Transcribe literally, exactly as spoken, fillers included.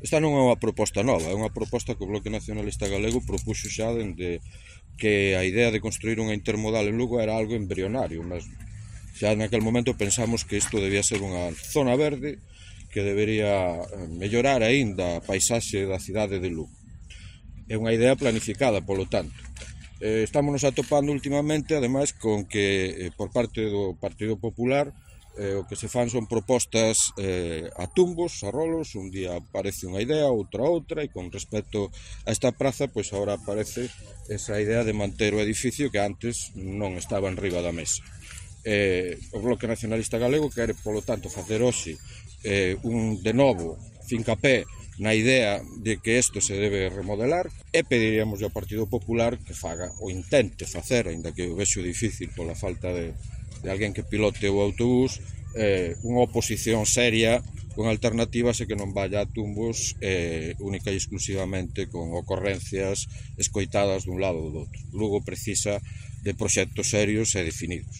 Esta non é unha proposta nova, é unha proposta que o Bloque Nacionalista Galego propuxo xa dende que a idea de construir unha intermodal en Lugo era algo embrionario mesmo. Xa naquel momento pensamos que isto debía ser unha zona verde que debería mellorar aínda a paisaxe da cidade de Lugo. É unha idea planificada, polo tanto. Eh, estamos nos atopando últimamente, ademais, con que eh, por parte do Partido Popular eh, o que se fan son propostas eh, a tumbos, a rolos, un día aparece unha idea, outra outra, e con respecto a esta praza, pois agora aparece esa idea de manter o edificio que antes non estaba en riba da mesa. Eh, o Bloque Nacionalista Galego quere, polo tanto, facer hoxe eh, un de novo fincapé na idea de que isto se debe remodelar e pediríamos ao Partido Popular que faga ou intente facer, aínda que o vexo difícil pola falta de, de alguén que pilote o autobús, eh, unha oposición seria con alternativas e que non vaya a tumbos eh, única e exclusivamente con ocorrencias escoitadas dun lado ou do outro. Lugo precisa de proxectos serios e definidos.